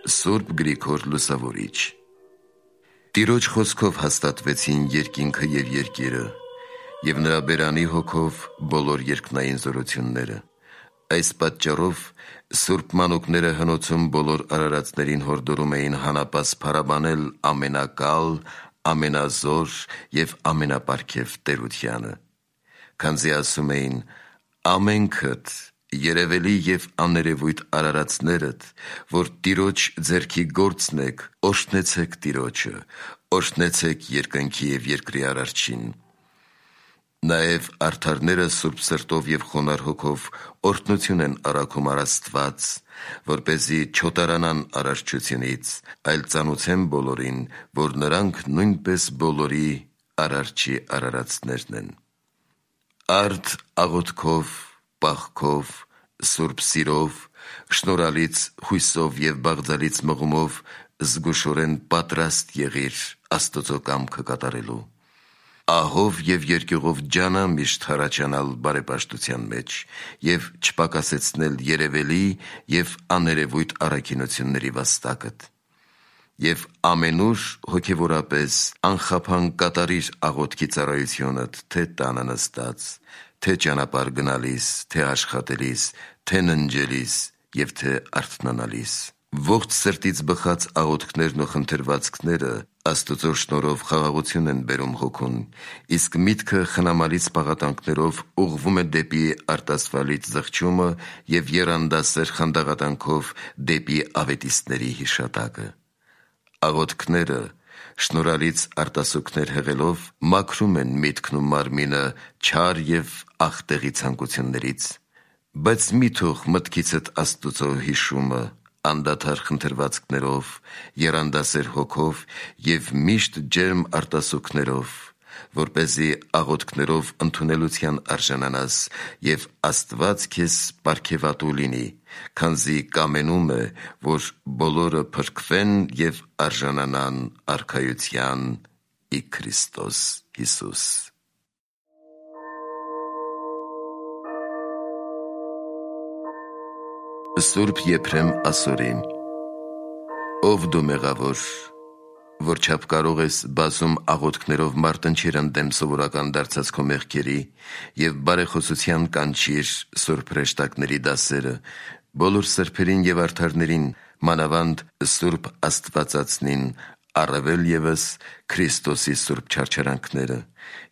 Սուրբ Գրիգոր Լուսավորիչ։ Տիրոջ խոսքով հաստատվեցին երկինքը և երկիրը, և նրա բերանի հոգով բոլոր երկնային զորությունները։ Այս պատճառով սուրբ մանուկները հնոցում բոլոր արարածներին հորդորում էին հանապաս փարաբանել ամենակալ, ամենազոր և ամենապարգև տերությանը, քանզի ասում էին. «Ամենքդ երևելի և աներևույթ արարածներդ, որ Տիրոջ ձեռքի գործն եք, օրհնեցեք Տիրոջը, օրհնեցեք երկնքի և երկրի Արարչին»։ Նաև արդարները սուրբ սրտով և խոնարհ հոգով օրհնություն են առաքում առ Աստված, որպեսզի չոտարանան արարչությունից, այլ ծանուցեն բոլորին, որ նրանք նույնպես բոլորի Արարչի արարածներն են։ Արդ աղոթքով, պաղքով, սուրբ սիրով, շնորհալից հույսով և բաղձալից մղումով զգուշորեն պատրաստ եղիր Աստծո կամքը կատարելու։ Ահով և երկյուղով ջանա միշտ հառաջանալ բարեպաշտության մեջ և չպակասեցնել երևելի և աներևույթ առաքինությունների վաստակդ։ Եվ ամենուր հոգևորապես անխափան կատարիր աղոթքի ծառայությունդ, թե տանը նստած, թե ճանապարհ գնալիս, թե աշխատելիս, թե ննջելիս և թե արթնանալիս։ Ողջ սրտից բխած աղոթքներն ու խնդրվածքները Աստծո շնորհով խաղաղություն են բերում հոգուն, իսկ միտքը խնամալից պաղատանքներով ուղղվում է դեպի արտասվալից զղջումը և եռանդասեր խանդաղատանքով դեպի ավետիստների հիշատակը։ Աղոթքները շնորհալից արտասուքներ հղելով մաքրում են միտքն ու մարմինը չար և ախտեղի ցանկություններից։ Բայց մի թող մտքիցդ Աստուծո հիշումը անդադար խնդրվածքներով, եռանդասեր հոգով և միշտ ջերմ արտասուքներով, որպեսզի աղոթքներով ընդունելության արժանանաս և Աստված քեզ պարգևատու լինի, քանզի կամենում է, որ բոլորը փրկվեն և արժանանան արքայության ի Քրիստոս Հիսուս։ Սուրբ Եփրեմ Ասորի։ Ով դու մեղավոր, որ չափ կարող ես բազում աղոթքներով մարտնչիր ընդդեմ սովորական դարձած քո մեղքերի և բարեխոսության կանչիր սուրբ հրեշտակների դասերը, բոլոր սրբերին և արդարներին, մանավանդ սուրբ Աստվածածնին, առավել ևս Քրիստոսի սուրբ չարչարանքները,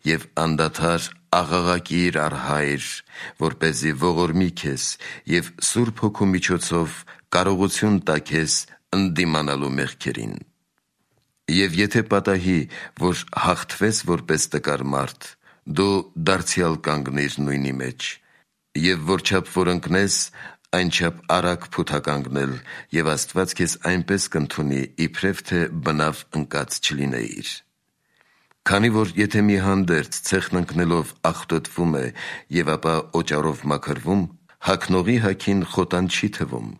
և անդադար աղաղակիր առ Հայր, որպեսզի ողորմի քեզ և Սուրբ Հոգու միջոցով կարողություն տա քեզ ընդդիմանալու մեղքերին։ Եվ եթե պատահի, որ հաղթվես որպես տկար մարդ, դու դարձյալ կանգնիր նույնի մեջ, և որչափ որ ընկնես, այնչափ արագ փութականգնել, և Աստված քեզ այնպես կընդունի, իբրև թե բնավ ընկած չլինեիր։ Քանի որ եթե մի հանդերձ ցեխն ընկնելով աղտոտվում է և ապա օճառով մաքրվում, հագնողի հագին խոտան չի թվում,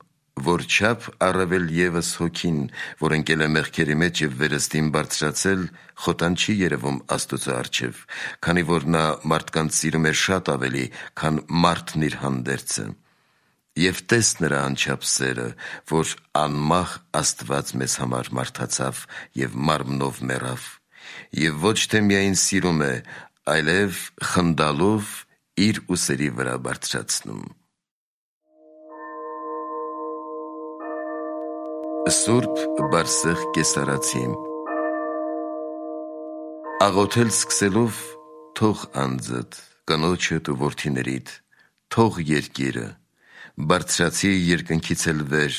որչափ առավել ևս հոգին, որ ընկել է մեղքերի մեջ և վերստին բարձրացել, խոտան չի երևում Աստուծո առջև, քանի որ նա մարդկանց սիրում է շատ ավելի, քան մարդն իր հանդերձը։ Եվ տես նրա անչափ սերը, որ անմահ Աստված մեզ համար մարդացավ և մարմնով մեռավ, և ոչ թե միայն սիրում է, այլև խնդալով իր ուսերի վրա բարձրացնում։ Սուրբ Բարսեղ Կեսարացի։ Աղոթել սկսելով թող անձդ, կնոջդ ու որդիներիդ, թող երկիրը, բարձրացի երկնքից էլ վեր,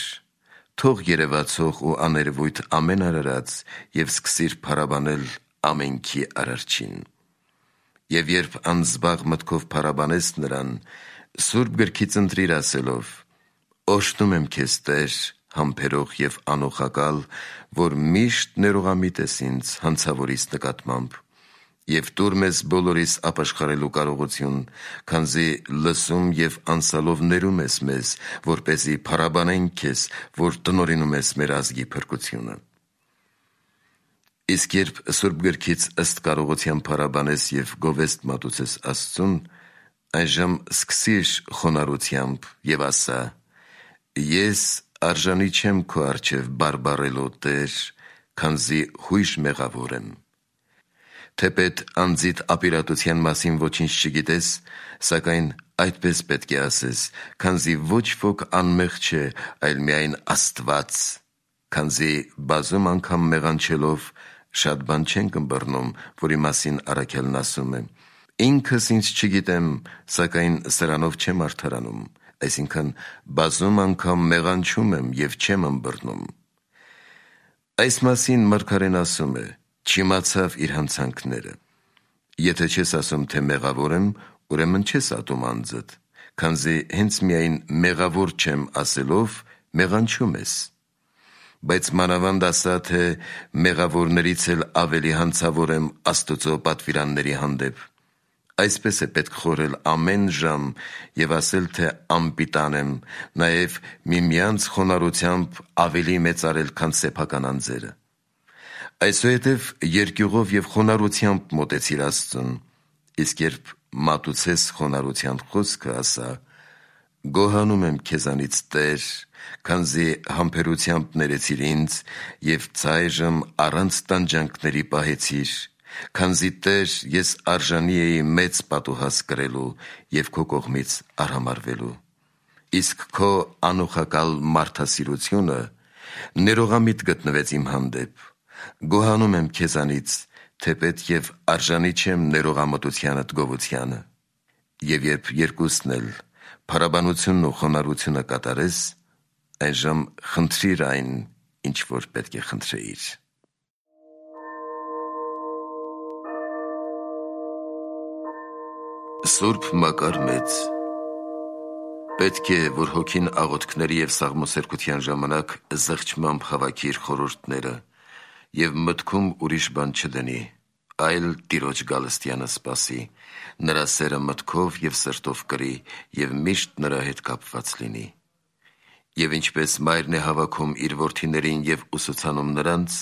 թող երևացող ու աներևույթ ամեն արարած և սկսիր փարաբանել ամենքի Արարչին։ Եվ երբ անզբաղ մտքով փարաբանես նրան, Սուրբ Գրքից ընտրիր ասելով. «Օրհնում եմ քեզ, Տեր, համբերող և անոխակալ, որ միշտ ներողամիտ ես ինձ հանցավորիս նկատմամբ, և տուր մեզ բոլորիս ապաշխարելու կարողություն, քանզի լսում և անսալով ներում ես մեզ, որպեսզի փարաբանենք քեզ, որ տնօրինում ես մեր ազգի փրկությունը»։ Իսկ երբ Սուրբ Գրքից ըստ կարողության փարաբանես և գովեստ մատուցես Աստծուն, այժմ սկսիր խոնարհությամբ և ասա. «Ես արժանի չեմ քո առջև բարբառելու Տեր, քանզի հույժ մեղավոր եմ։ Թեպետ անձիդ ապիրատության մասին ոչինչ չգիտես, սակայն այդպես պետք է ասես, քանզի ոչ ոք անմեղ չէ, այլ միայն Աստված, քանզի բազում անգամ մեղանչելով շատ բան չենք ըմբռնում, որի մասին առաքյալն ասում է. ինքս ինձ չգիտեմ, սակայն սրանով չեմ արդարանում, այսինքն բազում անգամ մեղանչում եմ և չեմ ըմբռնում։ Այս մասին մարգարեն ասում է. չիմացավ իր հանցանքները։ Եթե չես ասում, թե մեղավոր եմ, ուրեմն չես ատում անձդ, քանզի հենց միայն մեղավոր չեմ ասելով մեղանչում ես։ Բայց մանավանդ ասա, թե մեղավորներից էլ ավելի հանցավոր եմ Աստծո պատվիրանների հանդեպ։ Այսպես է պետք խորհել ամեն ժամ և ասել, թե անպիտան եմ, նաև միմյանց խոնարհությամբ ավելի մեծարել, քան սեփական անձերը։ Այսուհետև երկյուղով և խոնարհությամբ մոտեցիր Աստծուն, իսկ երբ մատուցես խոնարհության խոսքը, ասա. գոհանում եմ քեզանից Տեր, քանզի համբերությամբ ներեցիր ինձ և ցայժմ առանց տանջանքների պահեցիր, քանզի Տեր, ես արժանի էի մեծ պատուհաս կրելու և քո կողմից արհամարհվելու։ Իսկ քո անուխակալ մարդասիրությունը ներողամիտ գտնվեց իմ հանդեպ։ Գոհանում եմ քեզանից, թեպետ և արժանի չեմ ներողամտությանդ գովությանը։ Եվ երբ երկուսն էլ փառաբանությունն ու խոնարհությունը կատարես, այժմ խնդրիր այն, ինչ որ պետք է խնդրեիր։ Սուրբ Մակար Մեծ Պետք է, որ հոգին աղոթքների և սաղմոսերկության ժամանակ զղջմամբ հավաքի իր խորհուրդները և մտքում ուրիշ բան չդնի, այլ Տիրոջ գալստյանը սպասի, նրա սերը մտքով և սրտով կրի և միշտ նրա հետ կապված լինի։ Եվ ինչպես մայրն է հավաքում իր որդիներին և ուսուցանում նրանց,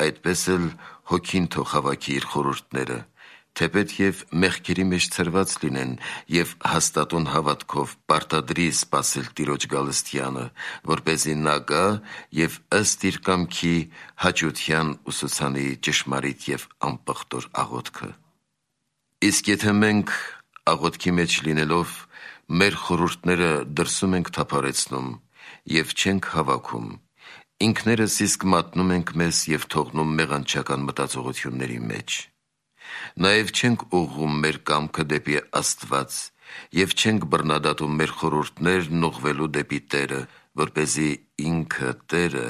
այդպես էլ հոգին թող հավաքի իր խորհուրդները, թեպետ և մեղքերի մեջ ցրված լինեն և հաստատուն հավատքով պարտադրի սպասել Տիրոջ գալստյանը, որպեսզի նա գա և ըստ իր կամքի հաճության ուսուցանի ճշմարիտ և անպղտոր աղոթքը։ Իսկ եթե մենք աղոթքի մեջ լինելով մեր խորհուրդները դրսում ենք թափառեցնում և չենք հավաքում, ինքներս իսկ մատնում ենք մեզ և թողնում մեղանչական մտածողությունների մեջ։ Նաև չենք ուղղում մեր կամքը դեպի Աստված և չենք բռնադատում մեր խորհուրդներն ուղղվելու դեպի Տերը, որպեսզի ինքը Տերը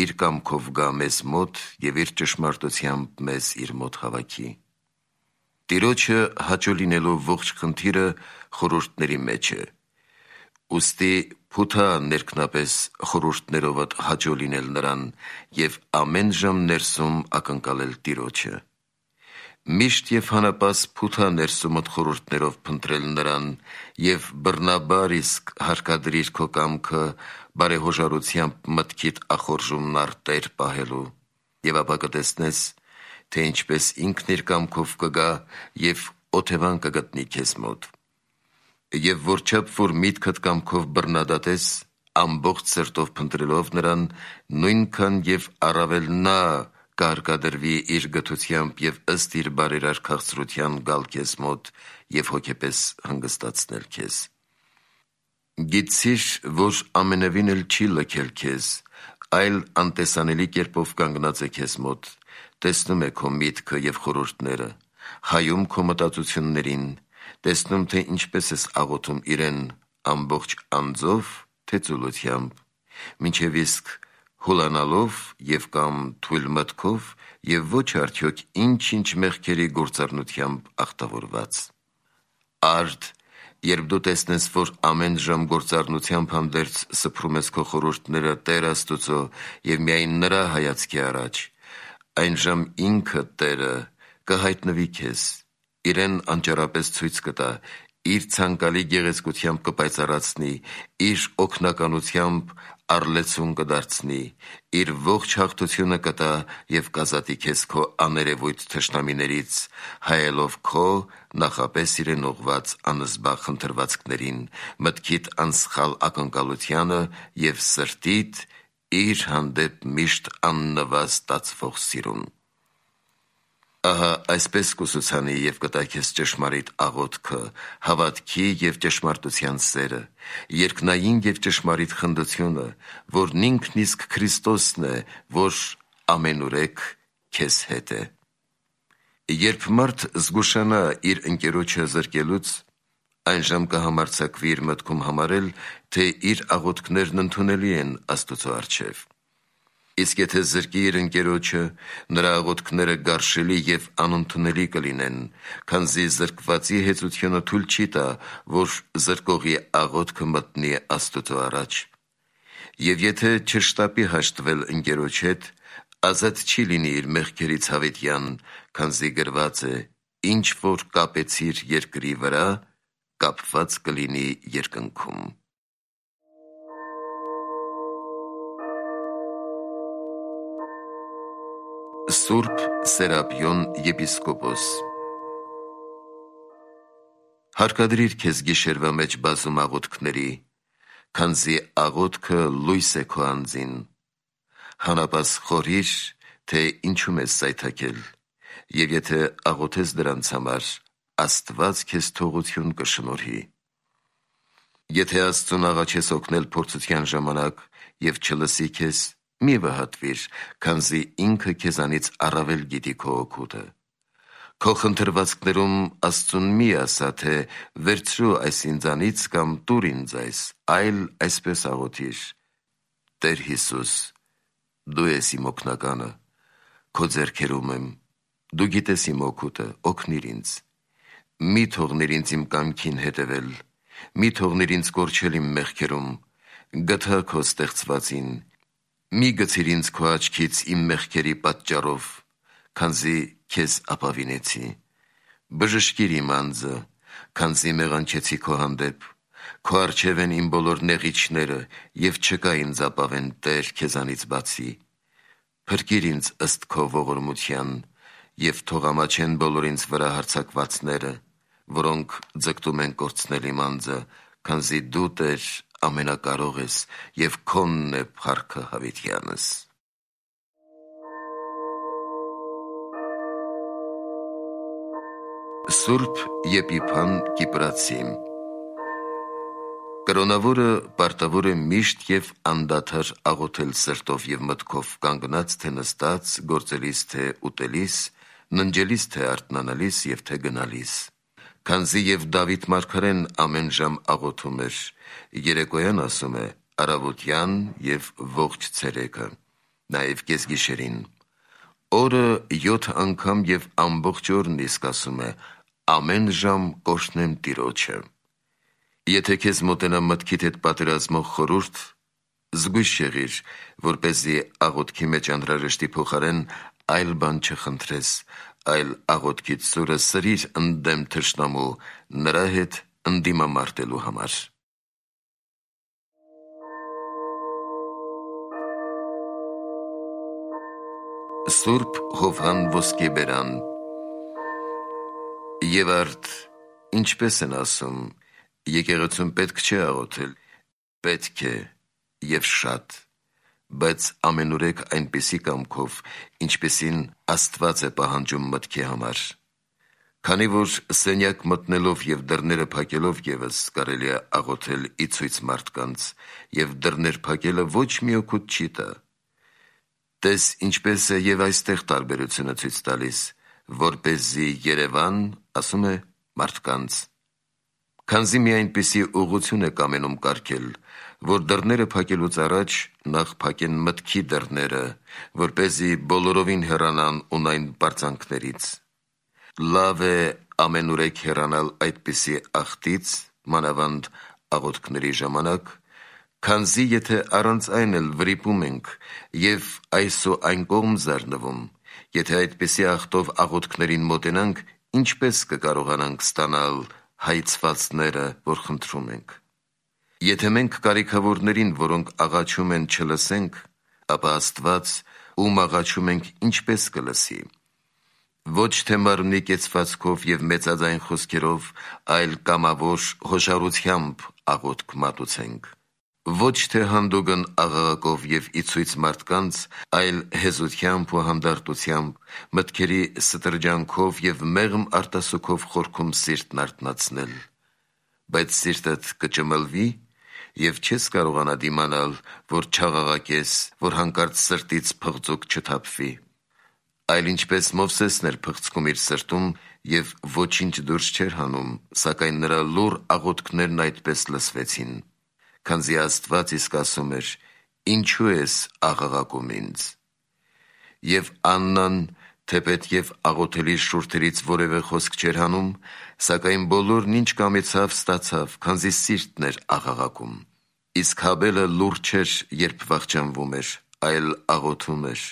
իր կամքով գա մեզ մոտ և իր ճշմարտությամբ մեզ իր մոտ հավաքի։ Տիրոջը հաճո լինելու ողջ խնդիրը խորհուրդների մեջ է։ Ուստի փութա ներքնապես խորհուրդներովդ հաճո լինել նրան և ամեն ժամ ներսում ակնկալել Տիրոջը։ Միշտ և հանապաս փութա ներսումդ խորհուրդներով փնտրել նրան և բռնաբար իսկ հարկադրիր քո կամքը բարեհոժարությամբ մտքիդ ախորժումն առ Տեր պահելու, և ապա կտեսնես, թե ինչպես ինքն իր կամքով կգա և օթևան կգտնի քեզ մոտ։ Եվ որչափ որ միտքդ կամքով բռնադատես, ամբողջ սրտով փնտրելով նրան, նույնքան և առավել նա կհարկադրվի իր գթությամբ և ըստ իր բարերար քաղցրության գալ քեզ մոտ և հոգեպես հանգստացնել քեզ։ Գիտցիր, որ ամենևին էլ չի լքել քեզ, այլ անտեսանելի կերպով կանգնած է քեզ մոտ, տեսնում է քո միտքը և խորհուրդները, հայում քո մտածություններին, տեսնում, թե ինչպես ես աղոթում իրեն ամբողջ անձով, թե ծուլությամբ, մինչև իսկ հուլանալով և կամ թույլ մտքով և ոչ արդյոք ինչ-ինչ մեղքերի գործառնությամբ ախտավորված։ Արդ, երբ դու տեսնես, որ ամեն ժամ գործառնությամբ հանդերձ սփռում ես քո խորհուրդները Տեր Աստուծո և միայն նրա հայացքի առաջ, այն ժամ ինքը Տերը կհայտնվի քեզ, իրեն անճարապես ցույց կտա, իր ցանկալի գեղեցկությամբ կպայծառացնի, իր օգնականությամբ առլեցուն կդարձնի, իր ողջ հաղթությունը կտա և կազատի քեզ քո աներևույթ թշնամիներից, հայելով քո նախապես իրեն ուղված անզբաղ խնդրվածքներին, մտքիդ անսխալ ակնկալությանը և սրտիդ իր հանդեպ միշտ աննվազ ստացվող սիրուն։ Ահա այսպես կուսուցանի և կտա քեզ ճշմարիտ աղոթքը, հավատքի և ճշմարտության սերը, երկնային և ճշմարիտ խնդությունը, որն ինքն իսկ Քրիստոսն է, որ ամենուրեք քեզ հետ է։ Երբ մարդ զգուշանա իր ընկերոջը զրկելուց, այնժամ կհամարձակվի իր մտքում համարել, թե իր աղոթքներն ընդունելի են Աստծո առջև։ Իսկ եթե զրկի իր ընկերոջը, նրա աղոթքները գարշելի և անընդունելի կլինեն, քանզի զրկվածի հեծությունը թույլ չի տա, որ զրկողի աղոթքը մտնի Աստծո առաջ։ Եվ եթե չշտապի հաշտվել ընկերոջ հետ, ազատ չի լինի իր մեղքերից հավիտյան, քանզի գրված է. «Ինչ որ կապեցիր երկրի վրա, կապված կլինի երկնքում»։ Սուրբ Սերապիոն եպիսկոպոս Հարկադրիր քեզ գիշերվա մեջ բազում աղոթքների, քանզի աղոթքը լույս է քո անձին։ Հանապաս խորհիր, թե ինչում ես սայթաքել, և եթե աղոթես դրանց համար, Աստված քեզ թողություն կշնորհի։ Եթե Աստծուն աղաչես օգնել փորձության ժամանակ և չլսի քեզ, մի վհատվիր, քանզի ինքը քեզանից առավել գիտի քո օգուտը։ Քո խնդրվածքներում Աստծուն մի ասա, թե վերցրու այս ինձանից կամ տուր ինձ այս, այլ այսպես աղոթիր. «Տեր Հիսուս, դու ես իմ օգնականը, քո ձեռքերում եմ, դու գիտես իմ օգուտը, օգնիր ինձ։ Մի թողնիր ինձ իմ կամքին հետևել, մի թողնիր ինձ կորչել իմ մեղքերում, գթա քո ստեղծվածին, մի գցիր ինձ քո աչքից իմ մեղքերի պատճառով, քանզի քեզ ապավինեցի։ Բժշկիր իմ անձը, քանզի մեղանչեցի քո հանդեպ, քո առջև են իմ բոլոր նեղիչները և չկա ինձ ապավեն Տեր քեզանից բացի։ Փրկիր ինձ ըստ քո ողորմության և թող ամաչեն բոլոր ինձ վրա հարձակվածները, որոնք ձգտում են կորցնել իմ անձը, քանզի դու Տեր ամենակարող ես և քոնն է փառքը հավիտյանս։ Սուրբ Եփիփան Կիպրացի Կրոնավորը պարտավոր է միշտ և անդադար աղոթել սրտով և մտքով, կանգնած թե նստած, գործելիս թե ուտելիս, ննջելիս թե արթնանալիս և թե գնալիս։ Քանզի և Դավիթ մարգարեն ամեն ժամ աղոթում էր, երեկոյան ասում է առավոտյան և ողջ ցերեկը, նաև կեսգիշերին։ Օրը 7 անգամ և ամբողջ օրն իսկ ասում է. ամեն ժամ կօրհնեմ Տիրոջը։ Եթե քեզ մոտենա մտքիդ հետ պատերազմող խորհուրդ, զգույշ եղիր, որպեսզի աղոթքի մեջ անհրաժեշտի փոխարեն այլ բան չխնդրես, այլ աղոթքիդ սուրը սրիր ընդդեմ թշնամու, նրա հետ ընդդիմամարտելու համար։ Սուրբ Հովհան Ոսկեբերան Եվ արդ ինչպես են ասում, եկեղեցում պետք չէ աղոթել, պետք է և շատ, բայց ամենուրեք այնպիսի կամքով, ինչպիսին Աստված է պահանջում մտքի համար։ Քանի որ սենյակ մտնելով և դռները փակելով ևս կարելի է աղոթել ի ցույց մարդկանց, և դռներ փակելը ոչ մի օգուտ չի տա։ Տես ինչպես է և այստեղ տարբերությունը ցույց տալիս, որպեսզի Երևան, ասում է մարդկանց։ Քանզի մի այնպիսի ուղղություն է կամենում կարգել, որ դռները փակելուց առաջ նախ փակեն մտքի դռները, որպեսզի բոլորովին հեռանան ունայն պարծանքներից։ Լավ է ամենուրեք հեռանալ այդպիսի ախտից, մանավանդ աղոթքների ժամանակ, քանզի եթե առանց այն էլ վրիպում ենք և այս ու այն կողմ զարնվում, եթե այդպիսի ախտով աղոթքներին մոտենանք, ինչպես կկարողանանք ստանալ հայցվածները, որ խնդրում ենք։ Եթե մենք կարիքավորներին, որոնք աղաչում են, չլսենք, ապա Աստված, ում աղաչում ենք, ինչպես կլսի։ Ոչ թե մարմնի կեցվածքով և մեծաձայն խոսքերով, այլ կամավոր հոշարությամբ աղոթք մատուցենք։ Ոչ թե հանդուգն աղաղակով և իցույց մարդկանց, այլ հեզությամբ ու հանդարտությամբ, մտքերի ստրջանքով և մեղմ արտասուքով խորքում սիրտն արթնացնել։ Բայց սիրտդ կճմլվի, և չես կարողանա դիմանալ, որ չաղաղակես, որ հանկարծ սրտից փղձուկ չթափվի։ Այլ ինչպես Մովսեսն էր փղձքում իր սրտում և ոչինչ դուրս չէր հանում, սակայն նրա լուռ աղոթքներն այդպես լսվեցին, քանզի Աստված իսկ ասում էր. «Ինչու ես աղաղակում ինձ»։ Եվ Աննան, թեպետ և աղոթելի շուրթերից որևէ խոսք չէր հանում, սակայն բոլորն ինչ կամեցավ, ստացավ, քանզի սիրտն էր աղաղակում։ Իսկ Հաբելը լուռ չէր, երբ վախճանվում էր, այլ աղոթում էր,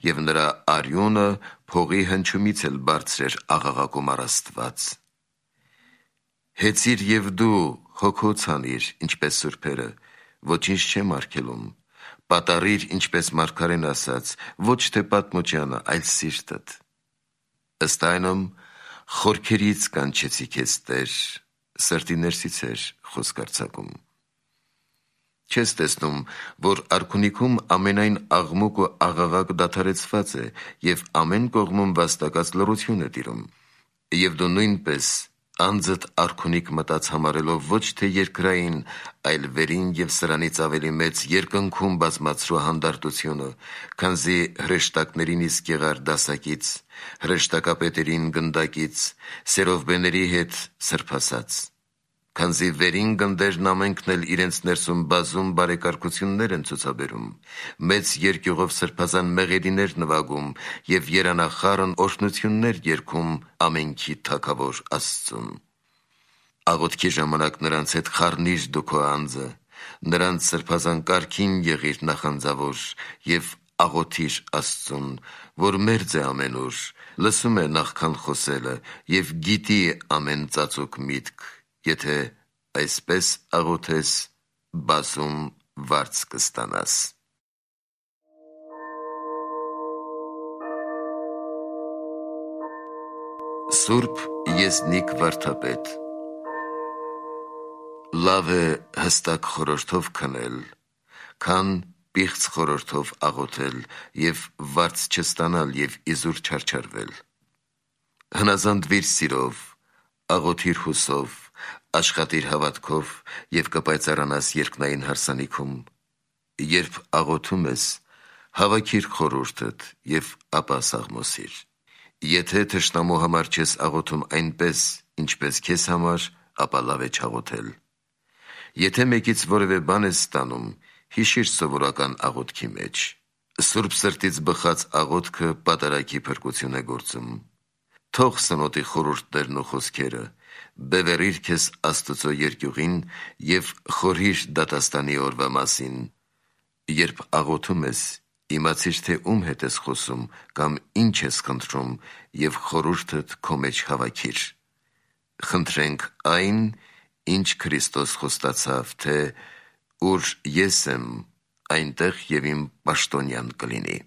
և նրա արյունը փողի հնչյունից էլ բարձր էր աղաղակում առ Աստված։ Հեծիր և դու հոգոց անիր, ինչպես սուրբերը, ոչինչ չեմ արգելում, պատառիր, ինչպես մարգարեն ասաց, ոչ թե պատմուճանը, այլ սիրտդ։ Ըստ այնմ, խորքերից կանչեցի քեզ, Տեր, սրտի ներսից էր խոսք արձակում։ Չես տեսնում, որ արքունիքում ամենայն աղմուկ ու աղաղակ դադարեցված է, և ամեն կողմում վաստակած լռություն է տիրում։ Եվ դու նույնպես անձդ արքունիք մտած համարելով ոչ թե երկրային, այլ վերին և սրանից ավելի մեծ երկնքում բազմացրու հանդարտությունը, քանզի հրեշտակներին իսկ եղար դասակից, հրեշտակապետերին գնդակից, սերովբեների հետ սրբասած։ Քանզի վերին գնդերն ամենքն էլ իրենց ներսում բազում բարեկարգություններ են ցուցաբերում, մեծ երկյուղով սրբազան մեղեդիներ նվագում և երանախառն օրհնություններ երգում ամենքի Թագավոր Աստծուն։ Աղոթքի ժամանակ նրանց հետ խառնիր դու քո անձը, նրանց սրբազան կարգին եղիր նախանձավոր և աղոթիր Աստծուն, որ մերձ է ամենուր, լսում է նախքան խոսելը և գիտի ամեն ծածուկ միտք, եթե այսպես աղոթես, բազում վարձ կստանաս։ Սուրբ Եզնիկ վարդապետ։ Լավ է հստակ խորհրդով քնել, քան պիղծ խորհրդով աղոթել և վարձ չստանալ և իզուր չարչարվել։ Հնազանդվիր սիրով, աղոթիր հուսով, աշխատիր հավատքով և կպայծառանաս երկնային հարսանիքում։ Երբ աղոթում ես, հավաքիր խորհուրդդ և ապա սաղմոսիր։ Եթե թշնամու համար չես աղոթում այնպես, ինչպես քեզ համար, ապա լավ է չաղոթել։ Եթե մեկից որևէ բան ես ստանում, հիշիր սովորական աղոթքի մեջ։ Սուրբ սրտից բխած աղոթքը պատարագի փրկություն է գործում։ Թող սնոտի խորհուրդներն ու խոսքերը, բևեռիր քեզ Աստծո երկյուղին և խորհիր դատաստանի օրվա մասին։ Երբ աղոթում ես, իմացիր, թե ում հետ ես խոսում կամ ինչ ես խնդրում և խորհուրդդ քո մեջ հավաքիր։ Խնդրենք այն, ինչ Քրիստոս խոստացավ, թե «Ուր ես եմ, այնտեղ և իմ պաշտոնյան կլինի»։